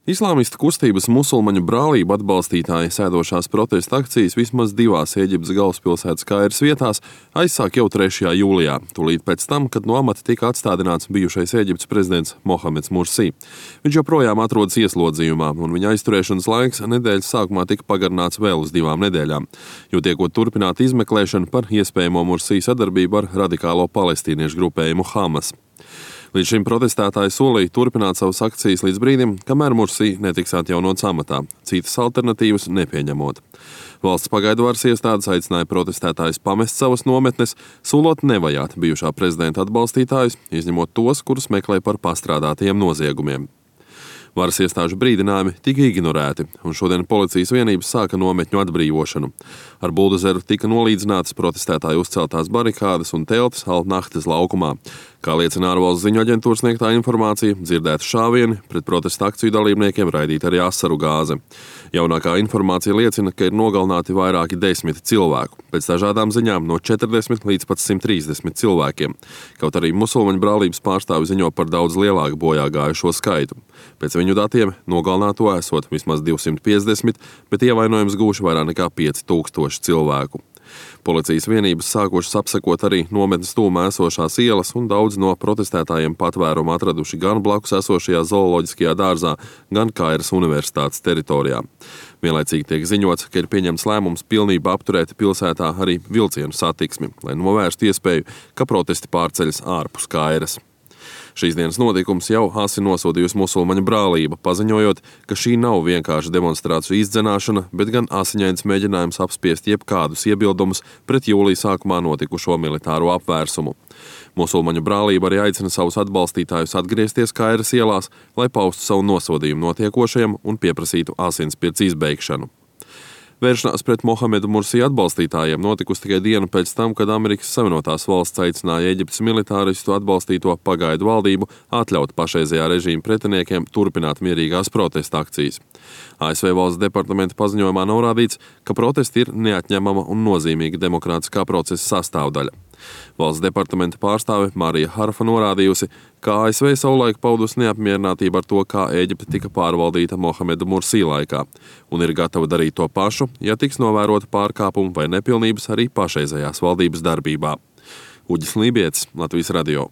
Islāmistu kustības musulmaņu brālību atbalstītāji sēdošās protesta akcijas vismaz divās Ēģiptes galvaspilsētas Kairas vietās aizsāk jau 3. jūlijā, tūlīt pēc tam, kad no amata tika atstādināts bijušais Ēģiptes prezidents Mohameds Mursī. Viņš joprojām atrodas ieslodzījumā, un viņa aizturēšanas laiks nedēļas sākumā tika pagarināts vēl uz 2 nedēļām, jo tiekot turpināt izmeklēšanu par iespējamo Mursī sadarbību ar radikālo palestīniešu grupējumu Hamas. Līdz šim protestētāji solīja turpināt savas akcijas līdz brīdim, kamēr Mursī netiks atjaunots amatā, citas alternatīvas nepieņemot. Valsts pagaidu varas iestādes aicināja protestētājus pamest savas nometnes, solot nevajāt bijušā prezidenta atbalstītājus, izņemot tos, kurus meklē par pastrādātajiem noziegumiem. Varas iestāžu brīdinājumi tika ignorēti, un šodien policijas vienības sāka nometņu atbrīvošanu. Ar buldozeru tika nolīdzinātas protestētāju uzceltās barikādes un teltis Al-Nahdas laukumā. Kā liecina ārvalstu ziņu aģentūras sniegtā informācija, dzirdēti šāvieni, pret protesta akciju dalībniekiem raidīta arī asaru gāze. Jaunākā informācija liecina, ka ir nogalināti vairāki 10 cilvēku, pēc dažādām ziņām no 40 līdz pat 130 cilvēkiem. Kaut arī musulmaņu brālības pārstāvi ziņo par daudz lielāku bojā gājušo skaitu. Pēc viņu datiem nogalināto esot vismaz 250, bet ievainojums gūši vairāk nekā 5000 cilvēku. Policijas vienības sākušas apsekot arī nometnes tūmā esošās ielas, un daudz no protestētājiem patvērumu atraduši gan blakus esošajā zooloģiskajā dārzā, gan Kairas universitātes teritorijā. Vienlaicīgi tiek ziņots, ka ir pieņemts lēmums pilnībā apturēt pilsētā arī vilcienu satiksmi, lai novērstu iespēju, ka protesti pārceļas ārpus Kairas. Šīs dienas notikums jau asi nosodījusi musulmaņu brālība, paziņojot, ka šī nav vienkārši demonstrāciju izdzenāšana, bet gan asiņains mēģinājums apspiest jebkādus iebildumus pret jūlija sākumā notikušo militāro apvērsumu. Musulmaņu brālība arī aicina savus atbalstītājus atgriezties Kairas ielās, lai paustu savu nosodījumu notiekošajam un pieprasītu asinsspirts izbeigšanu. Vēršanās pret Mohamedu Mursī atbalstītājiem notikusi tikai dienu pēc tam, kad Amerikas Savienotās valsts aicināja Ēģiptes militāristu atbalstīto pagaidu valdību atļaut pašreizējā režīma pretiniekiem turpināt mierīgās protesta akcijas. ASV valsts departamenta paziņojumā norādīts, ka protesti ir neatņemama un nozīmīga demokrātiskā procesa sastāvdaļa. Valsts departamenta pārstāve Marija Harfa norādījusi, ka ASV savulaik paudusi neapmierinātību ar to, kā Ēģipte tika pārvaldīta Mohameda Mursī laikā, un ir gatava darīt to pašu, ja tiks novērota pārkāpumi vai nepilnības arī pašreizējās valdības darbībā. Uģis Lībietis, Latvijas radio.